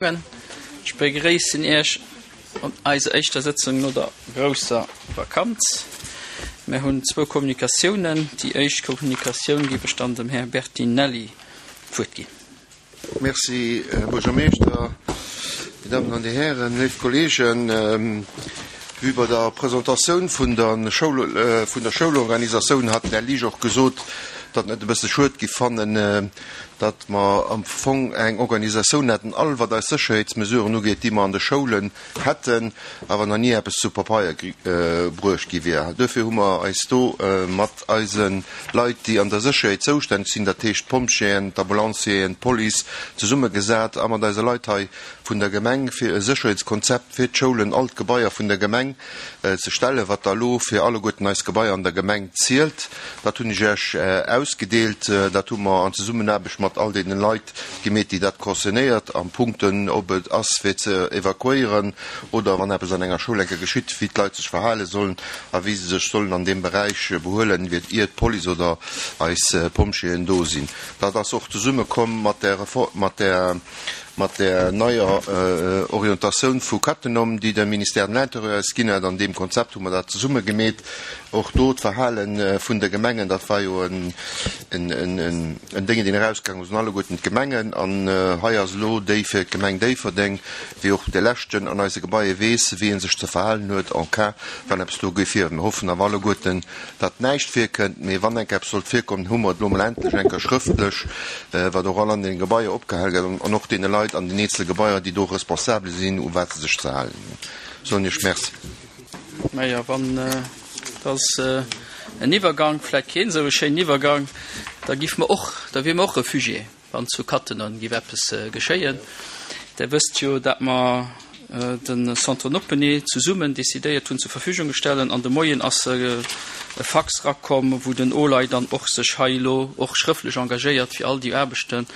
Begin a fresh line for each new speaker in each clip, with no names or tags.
Ech begréissen Iech op eiser éischter Sëtzung no der grousser Vakanz. Mir hunn zwou Kommunikatiounen. Déi éischt Kommunikatioun géif ech dann dem Här Bertinelli d'Wuert ginn.
Merci, Här Buergermeeschter, Dir Dammen an Dir Hären, léif Kolleegen. Wéi bei der Presentatioun vun der Schoul, vun der Schoulorganisatioun hat den Här Liesch och gesot, datt en et e bësse schued giff fannen, datt mer am Fong eng Organisatioun hätten, all wat eis Sécherheetsmesuren ugeet, déi mer an de Schoulen hätten, awer nach ni eppes zu Papeier bruecht gi wier. Duerfir hu mer eis do mat eise Leit, déi an der Sécherheet zoustänneg sinn, dat heescht d'Pompjeeën, d'Ambulancieren, d'Police, zesummegesat a mat eise Leit hei vun der Gemeng, fir e Sécherheetskonzept fir d'Schoulen, all d'Gebaier vun der Gemeng ze stellen, wat da elo fir alleguerten eis Gebaier an der Gemeng zielt. Dat hunn ech Iech ausgedeelt. Dat hu mer an Zesummenaarbecht mat all deene Leit gemeet, déi dat concernéiert, a Punkten, ob et ass fir ze evakuéieren oder wann eppes an enger Schoul eng Kéier geschitt, wéi d'Leit sech verhale sollen a wéi se sech sollen an deem Beräich behuelen, ier d'Police oder eis Pompjeeën do sinn. Dat ass och zesummekomm mat där, mat där Mat där neier Orientatioun vu Cattenom, déi de Ministère de l'Intérieur eis ginn huet, an deem Konzept hu mer dat zesumme gemeet. Och do d'Verhale vun de Gemengen, dat war jo en Dénge, deen erausgaangen ass un alleguerten d'Gemengen. An hei ass elo déi fir d'Gemeng Déifferdeng, wéi och de leschten an eise Gebaier weess, wéi ee sech ze verhalen huet en cas, wann eppes do géif vir. Mir hoffen awer alleguerten, datt näischt virkënnt, mee wann enk eppes sollt virkommen, hu mer et elo mol endlech eng Kéier schrëftlech, wat och all an deene Gebaier opgehal gëtt an och deene Leit an den eenzele Gebaier, déi do responsabel sinn, u wat se sech ze halen hunn. Soen Iech Merci.
Majo, wann et ass en Iwwergank, vläicht keen esou e schéinen Iwwergang, da giff mer och, da wier mer och Refugié. Wann zu Cattenom giff eppes geschéien. Der wësst jo, dat mer de Centre Noppenee zesummen decidéiert hunn zur Verfügung gestellen an de Moien ass e Fax rakomm, wou den OLAI dann och sech hei elo och schrëftlech engagéiert fir all déi Aarbechten,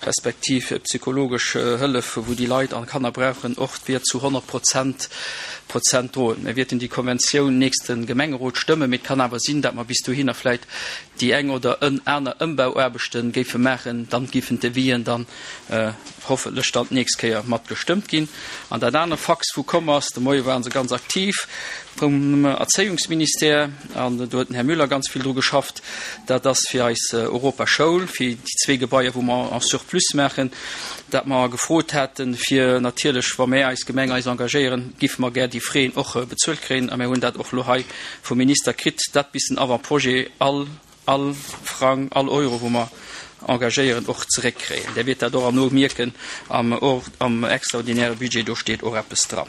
respektiv psychologesch Hëllef, wou déi Leit an Kanner brauchen, och wier zu 100 Prozent Prozent droen. Mir wierten déi Konventioun nächste Gemengerot stëmmen, mee et kann awer sinn, dat mer bis dohinner vläit déi eng oder en aner Ëmbauaarbechte géife maachen, dann géifen d'Devis'en dann hoffentlech dann d'nächst Kéier mat gestëmmt ginn. An dat aner Fax wou komm ass, de Moie waren se ganz aktiv vum Erzéiungsministère, an do huet den Här Müller ganz vill dru geschafft, dat ass fir eis Europaschoul, fir déi zwee Gebaier wou mer en surplus maachen, dat mer gefrot haten, fir natierlech, wa mär eis Gemeng eis engagéieren, géife mer gär déi Frais och bezuelt kréien, a mär hunn dat och elo hei vum Minister kritt dat bis den Avant-projet all, all Frang, all Euro, wou mer engagéieren, och zeréckkréien. Där wiert dat och herno mierken am, am extraordinäre Budget, do steet och eppes dran.